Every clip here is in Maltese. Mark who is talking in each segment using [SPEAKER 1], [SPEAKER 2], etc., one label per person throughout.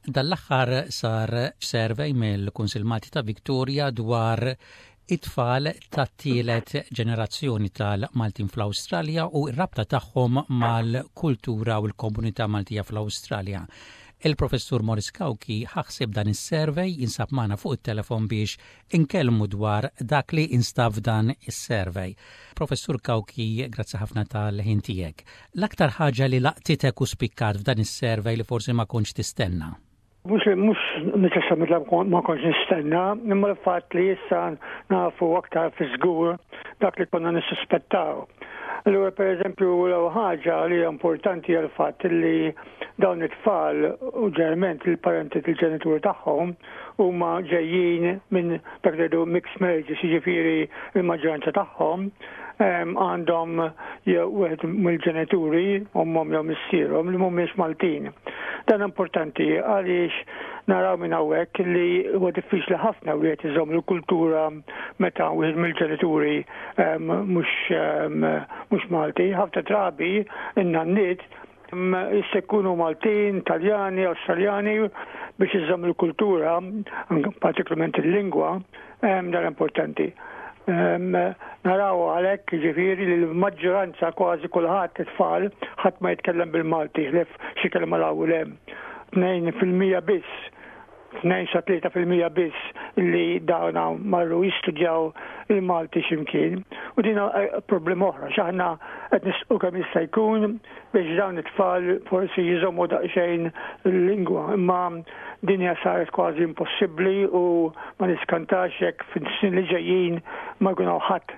[SPEAKER 1] Dan l-aħħar sar survey mill-Kunsill Malti ta' Victoria dwar it-tfal tat-tielet ġenerazzjoni tal-Maltin fl-Awstralja u r-rabta tagħhom mal-kultura u l-komunità Maltija fl-Awstralja. Il-Professur Morris Cauchi ħa ħsieb dan is-survey jinsab magħna fuq it-telefon biex inkellmu dwar dak li instab f'dan is-survey. Professur Cauchi, grazzi ħafna tal-ħin tiegħek. L-aktar ħaġa li laqtitek u spikkat f'dan is-survey li forsi ma kontx tistenna?
[SPEAKER 2] Mhux mhux neċessarjament ma kontx nistenna, imma l-fatt li issa nafu aktar fi żgur dak li konna nissuspettaw. Allura pereżempju l-ewwel ħaġa li hija importanti hija l-fatt li dawn it-tfal u ġeneralment il-parenti il-ġenituri tagħhom huma ġejjin minn dak li jgħidu mixed marriages, jiġifieri l-maġġoranza tagħhom għandhom jew wieħed mill-ġenituri, ommhom jew missierhom li mhumiex Maltin. Dan importanti għaliex naraw minn hawnhekk li huwa diffiċli ħafna wieħed iżomm il-kultura meta wieħed mill-ġenituri mhux Malti. Ħafna drabi in-nanniet jista' jkunu Maltin, Taljani, Awstraljani biex iżomm il-kultura, partikolarment il-lingwa, dan importanti. Naraw għalhekk ġifieri li l-maġġoranza kważi kulħadd it-tfal ħadd ma jitkellem bil-Malti ħlief xi kelma 'l hawn u 'l hemm. 2% biss 2 sa 3% biss li dawna marru jistudjaw il-Malti x'imkien. U din problema oħra, x'aħna qed nisqu kemm jista' jkun biex dawn it-tfal forsi jżommu daqsxejn il-lingwa. Imma din hija saret kważi impossibbli u ma niskantax jekk fis-snin li ġejjin ma jkun hawn ħadd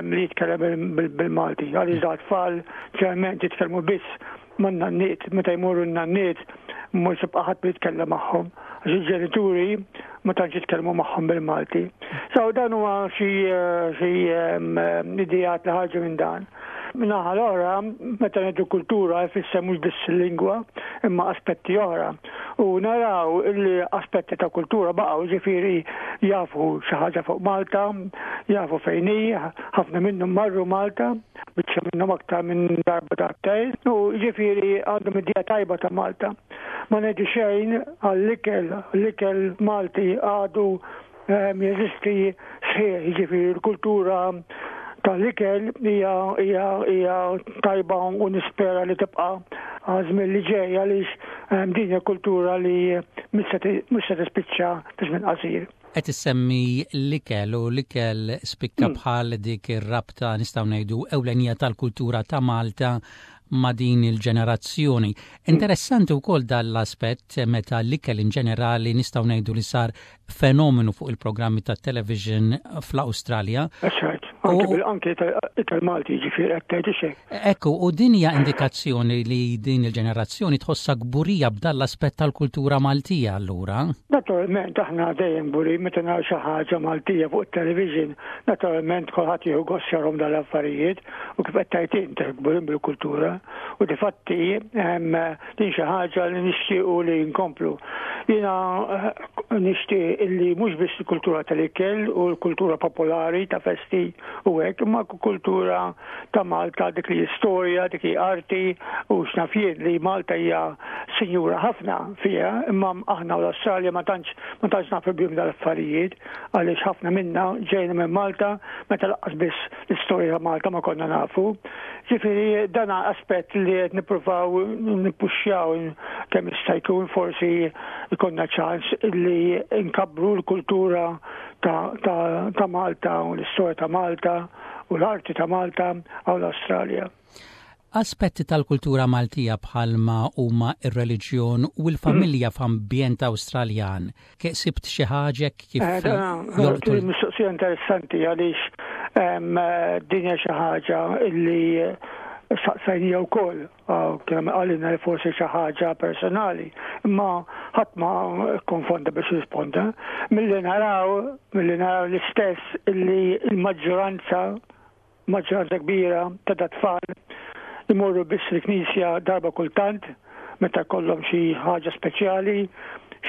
[SPEAKER 2] li jitkellem bil-Malti. Għaliex da tfal ġeneralment jitkellmu biss man-nanniet, meta jmorru n-nanniet mhux jibqa' ħadd jitkellem magħhom, għax il-ġenituri ma tantx jitkellmu magħhom bil-Malti. So dan huwa xi xi ideat li ħarġu minn dan. Min-naħa l-oħra, meta ngħidu kultura jfisser mhux biss il-lingwa, imma aspetti oħra. U naraw li aspetti ta' kultura baqgħu ġifieri jafu xi ħaġa fuq Malta, jafu fejn hi, ħafna minnhom marru Malta, biċċa minnhom aktar minn darba darbtejn, u ġifieri għandhom idea tajba ta' Malta. Ma ngħidu xejn għall-ikel, l-ikel Malti għadu ehm, jeżisti sħiħ, ġifieri l-kultura tal-ikel hija hija hija tajba u nispera li tibqa' għażmien li ġej għaliex ehm, din hija kultura li mhux se tispiċċa fi żmien qasir.
[SPEAKER 1] Qed issemmi l-ikel u l-ikel spikka mm. bħal dik ir-rabta nistgħu ngħidu ewlenija tal-kultura ta' Malta ma' din il-ġenerazzjoni. Mm. Interessanti wkoll dan l-aspett meta l-ikel in ġenerali nistgħu ngħidu li sar fenomenu fuq il-programmi tat-television fl-Awstralja.
[SPEAKER 2] Anke ikel Malti ġifieri qed tgħid xejn.
[SPEAKER 1] Ekku, u din hija indikazzjoni li din il-ġenerazzjoni tħossha kburija b'dan l-aspett tal-kultura Maltija allura?
[SPEAKER 2] Naturalment aħna dejjem kburin meta naraw xi ħaġa Maltija fuq it-television, naturalment kulħadd jieħu gost jarhom dawn l-affarijiet u kif qed tgħid int kburin bil-kultura u difatti din xi ħaġa li nixtiequ li nkomplu. Jiena eh, nixtieq illi mhux biss il-kultura tal-ikel u l-kultura popolari ta' festi u hekk, imma kultura ta' Malta dik li storja, dik li arti u x'naf jien li Malta hija sinjura ħafna fiha, imma aħna u l-Awstralja ma tantx ma tantx nafu bihom dal-affarijiet għaliex ħafna minna ġejna minn Malta meta laqqas biss l-istorja ta' Malta ma konna nafu. Ġifieri dan aspett li qed nippruvaw nippuxxjaw kemm jista' jkun forsi jkollna ċans li nkabbru l-kultura ta', ta, ta Malta u l-istorja ta' Malta u l-arti ta' Malta għaw l-Awstralja.
[SPEAKER 1] Aspetti tal-kultura Maltija bħalma huma r-reliġjon u l-familja f'ambjent Awstraljan. Sibt xi ħaġa kif
[SPEAKER 2] eh, jolqtu? Mistoqsija interessanti għaliex din hija xi ħaġa li saqsajnija wkoll kemm qalilna li forsi xi ħaġa personali, imma ħadd ma konfonda biex risponda. Milli naraw, milli naraw l-istess illi l-maġġoranza Maġġoranza kbira ta' dat-tfal imorru biss il-knisja darba kultant meta jkollhom xi ħaġa speċjali,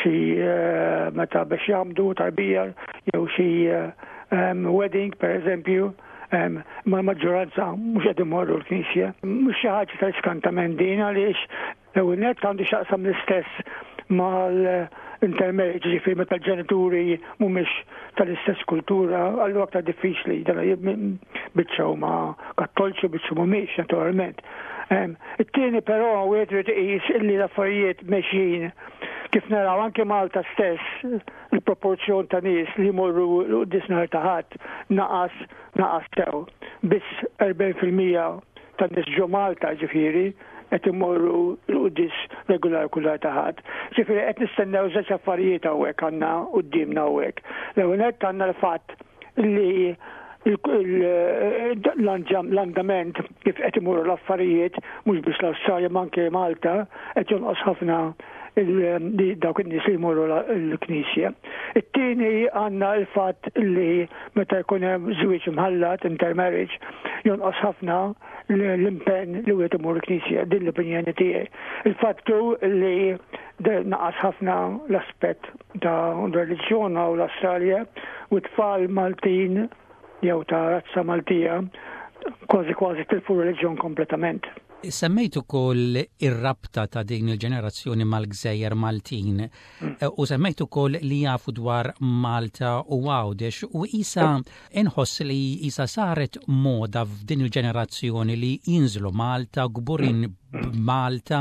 [SPEAKER 2] xi eh, meta biex jagħmdu tarbija jew xi eh, wedding pereżempju, ma l-maġġoranza mhux qed imorru l-knisja. Mhux xi ħaġa ta' iskantament din għaliex L-ewwel nett għandu x'jaqsam l-istess mal-intermarriage, ġifieri meta l-ġenituri mhumiex tal-istess kultura, allura aktar diffiċli dan biċċa huma kattolċi biċċa mhumiex naturalment. It-tieni però wieħed irid iqis illi l-affarijiet mexjin kif naraw anke Malta stess il-proporzjon ta' nies li jmorru l-quddies nhar ta' Ħadd naqas naqas sew. Biss 40% tan-nies ġo Malta ġifieri qed imorru l-quddies regular kull nhar ta' Ħadd. Ġifieri qed nistennew żewġ affarijiet hawnhekk għandna quddiemna hawnhekk. L-ewwel nett għandna l-fatt li l-andament kif qed imorru l-affarijiet mhux biss l-Awstralja ma anke Malta qed jonqos ħafna dawk in-nies li jmorru l-knisja. It-tieni għandna l-fatt li meta jkun hemm żwieġ imħallat, intermarriage, jonqos ħafna l-impenn li wieħed imur il-knisja, din l-opinjoni tiegħi. Il-fatt hu li naqas ħafna l-aspett ta' reliġjon u l-Awstralja u t-tfal Maltin jew ta' razza Maltija kważi kważi tilfu reliġjon kompletament.
[SPEAKER 1] Semmejt ukoll ir-rabta ta' din il-ġenerazzjoni mal-gżejjer Maltin u semmejt ukoll li jafu dwar Malta u Għawdex u isa inħoss li isa saret moda f'din il-ġenerazzjoni li jinżlu Malta, kburin b'Malta,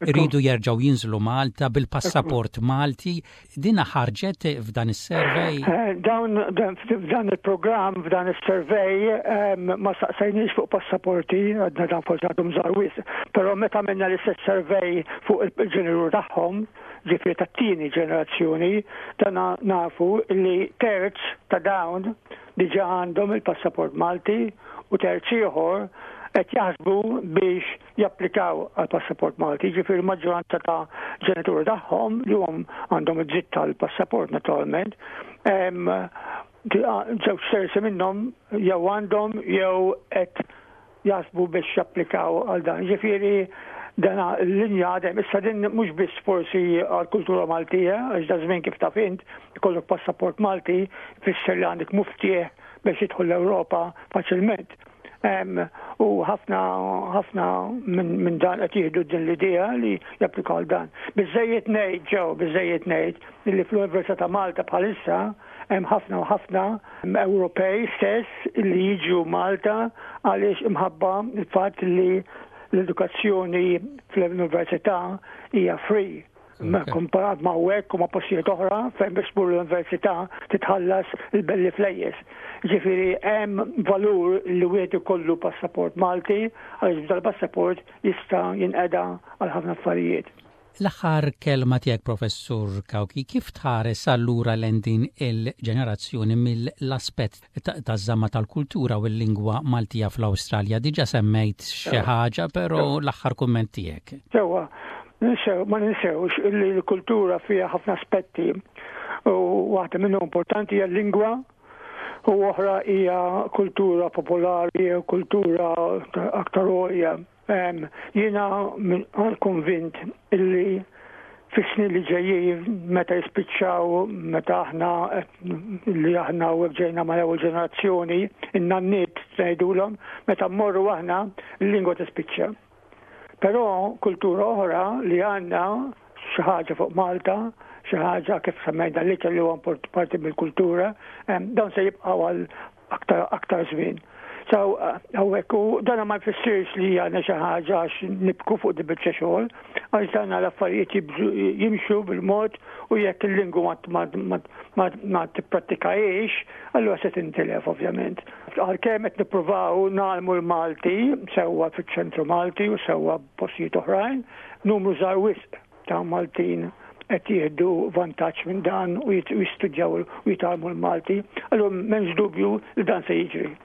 [SPEAKER 1] iridu jerġgħu jinżlu Malta bil-passaport Malti. Dina ħarġet f'dan is-survey?
[SPEAKER 2] Eh, dawn f'dan il-programm, f'dan is-survey, ma saqsejniex fuq passaporti, għadna dan forsi għadhom żgħar wisq, però meta għamilna l-istess survey fuq il-ġeneru tagħhom, ġifieri tat-tieni ġenerazzjoni, dan nafu li terz ta' dawn diġà għandhom il-passaport Malti u terz ieħor qed jaħsbu biex japplikaw għal passaport Malti, jiġifieri l-maġġoranza ta' ġenituri tagħhom li hum għandhom id-dritt tal-passaport naturalment, żewġ terzi minnhom jew għandhom jew qed jaħsbu biex japplikaw għal dan. Ġifieri dana l-linja għadem, issa din mhux biss forsi għall-kultura Maltija, għax da żmien kif taf int, ikollok passaport Malti, fisser li għandek muftieħ biex jidħol l-Ewropa faċilment. U ħafna ħafna minn dan qed jieħdu din l-idea li japplikaw għal dan. Biżejjed ngħid ġew, biżejjed ngħid li fl-Università ta' Malta bħalissa hemm ħafna u ħafna Ewropej stess li jiġu Malta għaliex imħabba il-fatt li l-edukazzjoni fl-università hija free. Komparat ma' hekk u ma' postijiet oħra fejn biex tmur l-università titħallas il-belli flejjes. Ġifieri hemm valur li wieħed ikollu passaport Malti għaliex b'dal-passaport jista' jinqeda għal ħafna affarijiet.
[SPEAKER 1] L-aħħar kelma tiegħek Professur Cauchi, kif tħares allura lejn din il-ġenerazzjoni mill-aspett taż-żamma tal-kultura u l-lingwa Maltija fl-Awstralja? Diġà semmejt xi ħaġa, però l-aħħar kumment tiegħek.
[SPEAKER 2] Sewwa, ninsew, ma ninsewx illi l-kultura fiha ħafna aspetti u waħda minnhom importanti hija l-lingwa u oħra hija kultura popolari u kultura aktar għolja. Jiena konvint illi fis-snin li ġejjin meta jispiċċaw meta aħna li aħna u ġejna ma' ewwel ġenerazzjoni, in-nanniet ngħidulhom, meta mmorru aħna l-lingwa tispiċċa. Però kultura oħra li għandna xi ħaġa fuq Malta, xi ħaġa kif semmejna l-ikel li huwa parti mill-kultura, dawn se jibqgħu għal aktar aktar żmien. So, hawnhekk u dana ma jfissirx li għandna xi ħaġa għax nibku fuq di biċċa xogħol, għax dan l-affarijiet jimxu bil-mod u jekk il-lingwa ma tipprattikahiex, allura se tintilef ovvjament. Għalkemm qed nippruvaw nagħlmu l-Malti sewwa fiċ-ċentru Malti u sewwa postijiet oħrajn, numru żgħar wisq ta' Maltin qed jieħdu vantaġġ minn dan u jistudjaw u jitgħallmu l-Malti, allura m'hemmx dubju li dan se jiġri.